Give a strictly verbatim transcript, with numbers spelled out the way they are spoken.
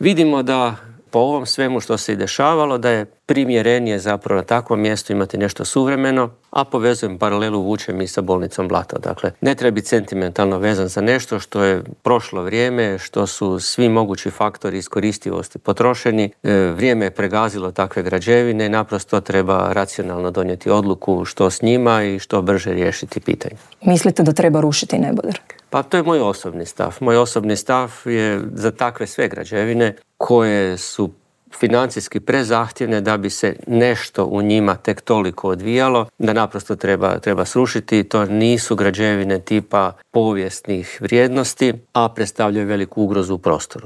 vidimo da po ovom svemu što se i dešavalo, da je primjerenije zapravo na takvom mjestu imati nešto suvremeno, a povezujem paralelu, vučem i sa bolnicom Blato. Dakle, ne treba biti sentimentalno vezan za nešto što je prošlo vrijeme, što su svi mogući faktori iskoristivosti potrošeni, vrijeme je pregazilo takve građevine i naprosto treba racionalno donijeti odluku što s njima i što brže riješiti pitanje. Mislite da treba rušiti neboder? Pa to je moj osobni stav. Moj osobni stav je za takve sve građevine koje su financijski prezahtjevne da bi se nešto u njima tek toliko odvijalo, da naprosto treba, treba srušiti. To nisu građevine tipa povijesnih vrijednosti, a predstavljaju veliku ugrozu u prostoru.